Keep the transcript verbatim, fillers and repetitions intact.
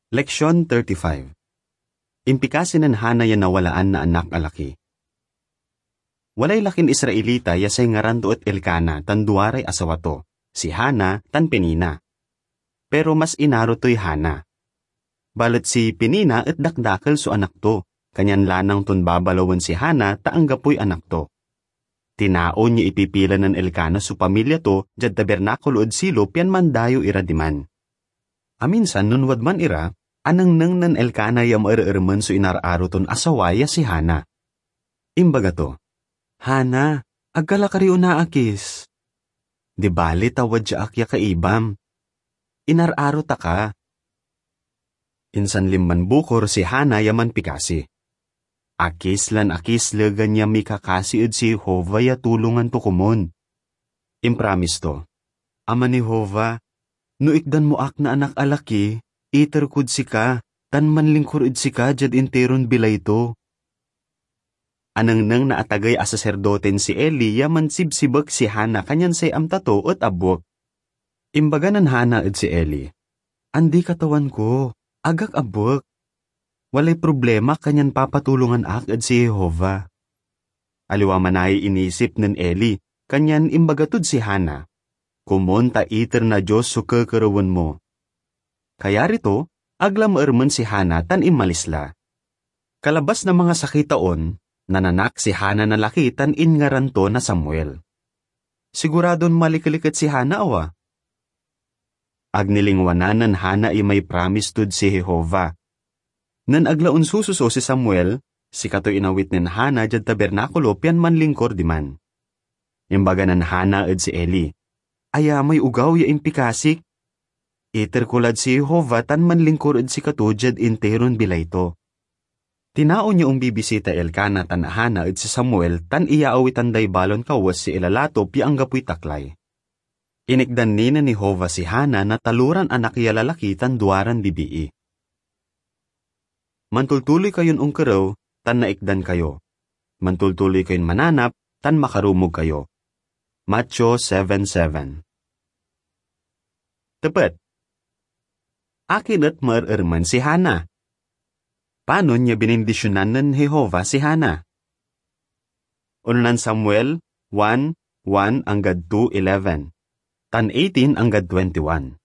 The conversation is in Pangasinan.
Leksyon thirty-five. Impikasi nen Hana ya nawalaan na anak a laki. Walay lakin Israelita ya say ngaran to et Elcana tan duaray asawa to, si Hana tan Penina. Pero mas inaro toy Hana. Balet si Penina et dakdakel so anak to, kanyan lanang ton babalawen si Hana ta anggapoy anak to. Tinaon ya ipipila nen Elcana so pamilya to diad tabernakulo ed Silo pian mandayew ira diman. Aminsan nen wadman ira, anengneng nen Elcana ya maerermen so inararo ton asawa ya si Hana. Imbaga to, "Hana, ag ka la kari onaakis. Di bali ta wadya ak ya kaibam. Inararo ta ka." Insan linman bukor si Hana ya manpikasi. Akis lan akis legan ya mikakasi ed si Jehovah ya tulongan to komun. Impramis to, "Aman Jehovah, no ikdan mo ak na anak a laki, iter kod sika, tan manlingkur ed sika diad interon bilay to." Anengneng na atagey a saserdoten si Eli ya mansibsibek si Hana kanyan say amta to et abwek. Imbaga nen Hana ed si Eli, "Andi, Katawan ko, ag ak abwek. Walay problema kanyan papatulongan ak ed si Jehovah." Aliwa manaya inisip nen Eli, kanyan imbaga tod si Hana, "Komun ta iter na Dios so kekerewen mo." Kayari to, ag la maermen si Hana tan inmalis la. Kalabas na mangasakey taon, nananak si Hana na laki tan inngaran to na Samuel. Siguradon malikeliket si Hana, awa? Ag nilingwanan nen Hana imay pramis tod si Jehovah. Nen ag la onsususo si Samuel, sikatoy inawit nen Hana diad tabernakulo pian manlingkur diman. Imbaga nen Hana ed si Eli, "Aya may ogaw ya impikasik. Iter ko lad si Jehovah tan manlingkur ed sikato diad interon bilay to." Tinaon ya ombibisita Elcana tan Hana ed si Samuel tan iyaawitan day balon kawes ya ilalatop ya anggapoy taklay. Inikdan ni nen Jehovah si Hana na taloran anak ya lalaki tan duaran bibii. "Mantultuloy kayon onkerew tan naikdan kayo. Mantultuloy kayon mananap tan makarumog kayo." Mateo seven seven. Tepet. Akin et maerermen si Hana? Panon ya binindisyonan nen Jehovah si Hana? Unonan Samuel one, one anggad two eleven, tan eighteen anggad twenty-one.